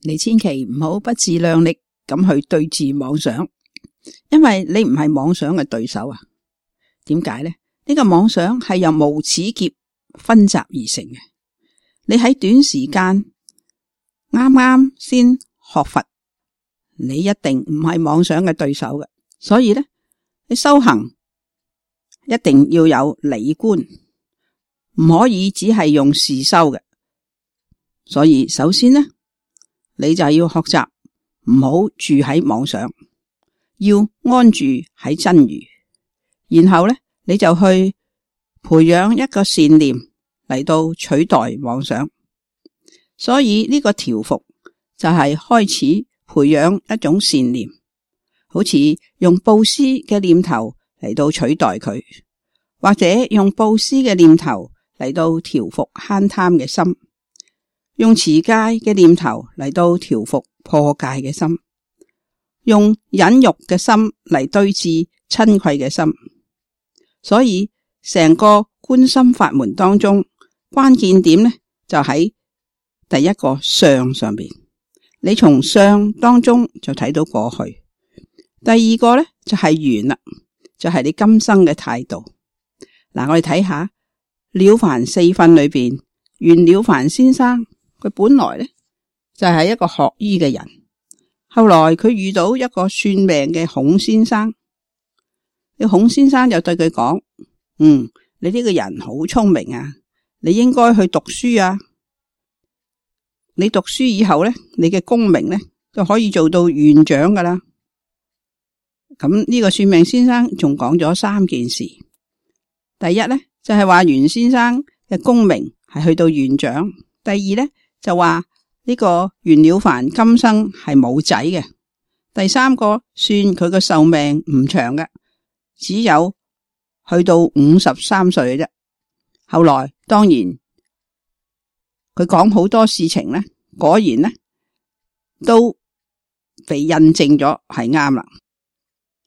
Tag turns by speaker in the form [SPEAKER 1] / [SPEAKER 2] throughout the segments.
[SPEAKER 1] 你千祈唔好不自量力咁去對治妄想，因為你唔係妄想嘅對手啊。點解呢？呢個妄想係由無始劫分集而成嘅。你喺短時間啱啱先學佛，你一定唔係妄想嘅對手嘅。所以呢，你修行一定要有理觀，唔可以只係用事修嘅。所以首先呢，你就要學習唔好住喺妄想，要安住喺真如。然後呢，你就去培養一個善念嚟到取代妄想。所以呢個調伏就係開始培養一種善念，好似用布施嘅念頭嚟到取代佢，或者用布施嘅念頭嚟到調伏慳貪嘅心，用持戒嘅念頭嚟到調伏破戒嘅心，用忍辱嘅心嚟對治嗔恚嘅心。所以成個觀心法門當中，關鍵點呢就喺第一個相上邊。你從相當中就睇到過去。第二個呢就係緣啦，就係你今生嘅態度。嗱，我哋睇下了凡四訓裏邊，袁了凡先生佢本來呢就係一個學醫嘅人，後來佢遇到一個算命嘅孔先生。孔先生就對佢講：你呢個人好聰明啊，你應該去讀書啊。你讀書以後呢，你嘅功名呢就可以做到院長噶啦。咁呢個算命先生仲講咗三件事。第一呢，就係話袁先生嘅功名係去到院長。第二呢，就話呢個袁了凡今生係冇仔嘅。第三個，算佢個壽命唔長嘅，只有去到53歲嘅啫。後來當然佢講好多事情呢，果然呢都被印證咗係啱啦。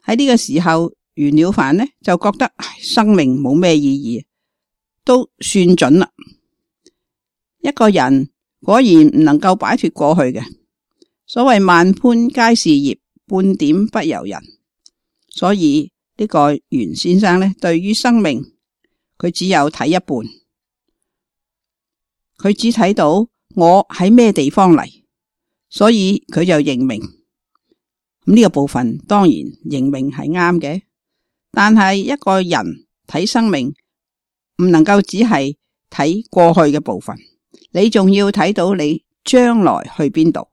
[SPEAKER 1] 喺呢個時候，袁了凡呢就覺得生命冇咩意義，都算準啦。一個人果然唔能夠擺脫過去嘅。所謂萬般皆是業，半點不由人。所以呢個袁先生呢，對於生命佢只有睇一半，佢只睇到我喺咩地方嚟，所以佢就認命。咁呢個部分當然認命係啱嘅，但係一個人睇生命唔能夠只係睇過去嘅部分，你仲要睇到你將來去邊度。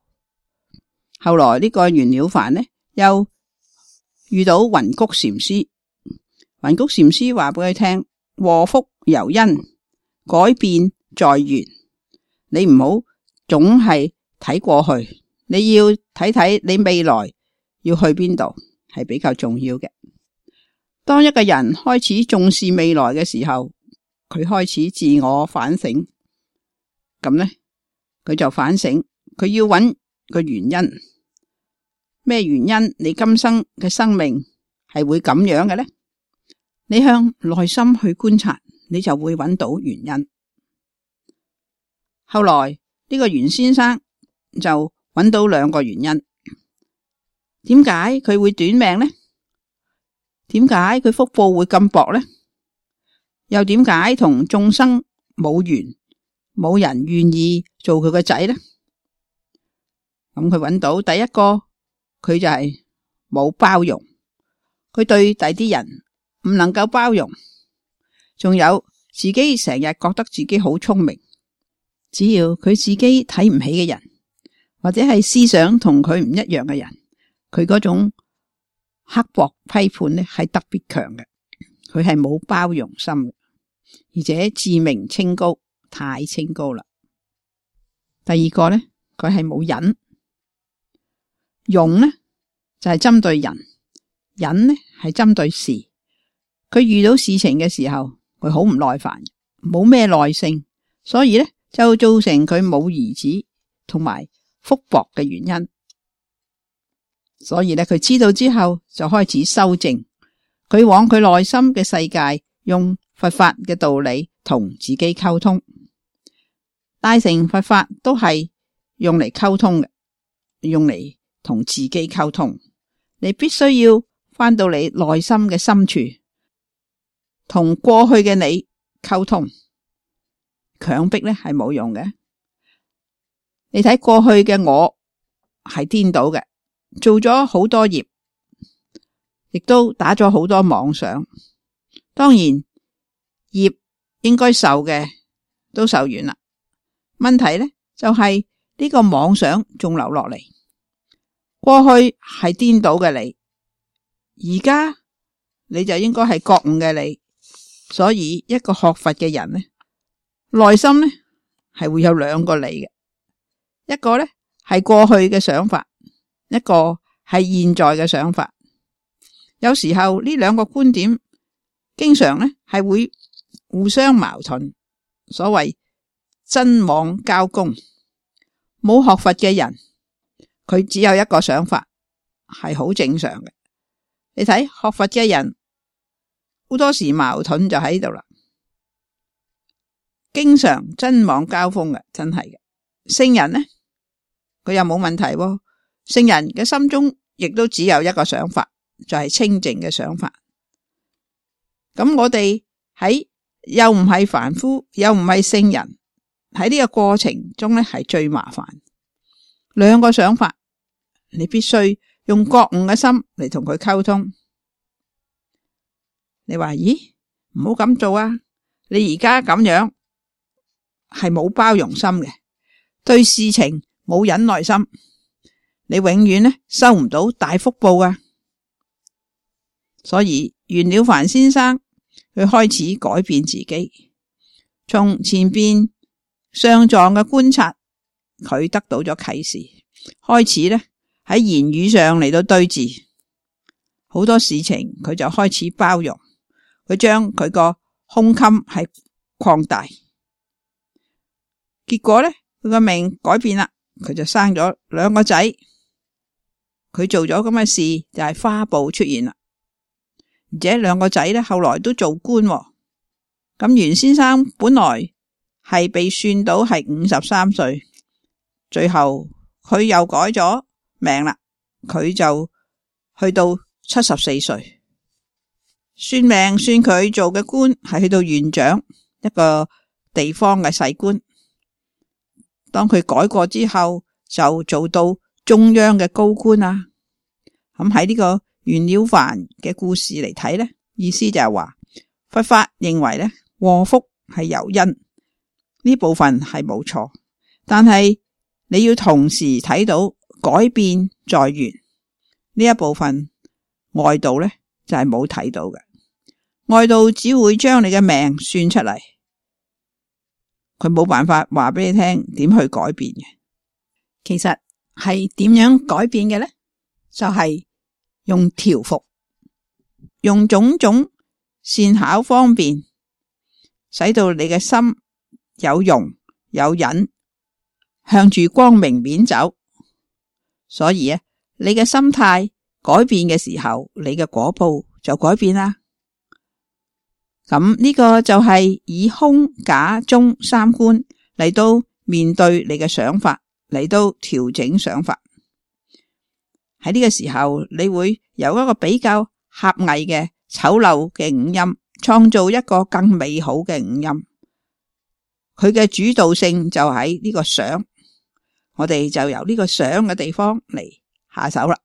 [SPEAKER 1] 後來呢個袁了凡呢，又遇到雲谷禪師。雲谷禪師話俾佢聽：禍福由因，改變在緣。你唔好總係睇過去，你要睇睇你未來要去邊度，係比較重要嘅。當一個人開始重視未來嘅時候，佢開始自我反省。咁呢，佢就反省，佢要揾個原因。咩原因你今生嘅生命係會咁樣嘅呢？你向內心去觀察，你就會揾到原因。後來呢個袁先生就揾到兩個原因。點解佢會短命呢？點解佢福報會咁薄呢？又點解同眾生冇緣，冇人願意做佢個仔呢？咁佢揾到第一個，佢就係冇包容，佢對第啲人唔能夠包容，仲有自己成日覺得自己好聰明，只要佢自己睇唔起嘅人，或者係思想同佢唔一樣嘅人，佢嗰種刻薄批判呢係特別強嘅，佢係冇包容心嘅，而且自命清高，太清高啦。第二個呢，佢係冇忍。容呢就係針對人，忍呢係針對事。佢遇到事情嘅時候，佢好唔耐煩，冇咩耐性，所以呢就造成佢冇兒子同埋福薄嘅原因。所以呢，佢知道之後就開始修正，佢往佢內心嘅世界用佛法嘅道理同自己溝通。大乘佛法都係用嚟溝通嘅。用嚟同自己溝通，你必須要返到你內心嘅深處，同過去嘅你溝通。強迫咧係冇用嘅。你睇過去嘅我係顛倒嘅，做咗好多業，亦都打咗好多妄想。當然業應該受嘅都受完啦，問題咧就係呢個妄想仲留落嚟。過去係顛倒嘅你，而家你就應該係覺悟嘅你。所以一個學佛嘅人呢，內心呢係會有兩個你嘅，一個呢係過去嘅想法，一個係現在嘅想法。有時候呢兩個觀點經常呢係會互相矛盾，所謂真妄交攻。冇學佛嘅人，佢只有一個想法，係好正常嘅。你睇學佛嘅人好多時矛盾就喺度啦，經常真妄交鋒嘅，真係嘅。聖人呢，佢又冇問題喎。聖人嘅心中亦都只有一個想法，就係清淨嘅想法。咁我哋喺又唔係凡夫，又唔係聖人，喺呢個過程中呢係最麻煩。兩個想法，你必須用覺悟嘅心嚟同佢溝通。你話咦，唔好咁做啊！你而家咁樣係冇包容心嘅，對事情冇忍耐心，你永遠呢收唔到大福報啊！所以袁了凡先生佢開始改變自己，從前邊上狀嘅觀察，佢得到咗啟示，開始呢喺言語上嚟到對治好多事情，佢就開始包容。佢將佢個胸襟係擴大，結果咧佢個命改變啦，佢就生咗兩個仔。佢做咗咁嘅事就係花報出現啦，而且兩個仔咧後來都做官。咁袁先生本來係被算到係53歲，最後佢又改咗命啦，佢就去到74歲。算命算佢做嘅官係去到縣長，一個地方嘅細官。當佢改過之後，就做到中央嘅高官啊。咁喺呢個袁了凡嘅故事嚟睇呢，意思就係話佛法認為呢，禍福係由因，呢部分係冇錯，但係你要同時睇到改變在緣呢一部分，外道呢就係冇睇到嘅。外道只會將你嘅命算出嚟，佢冇辦法話俾你聽點去改變嘅。其實係點樣改變嘅呢？就係用調伏，用種種善巧方便，使到你嘅心有容有忍，向住光明面走。所以啊，你嘅心態改變嘅時候，你嘅果報就改變啦。咁呢個就係以空假中三觀嚟到面對你嘅想法，嚟到調整想法。喺呢個時候，你會由一個比較狹隘嘅醜陋嘅五陰，創造一個更美好嘅五陰。佢嘅主導性就喺呢個想，我哋就由呢個想嘅地方嚟下手啦。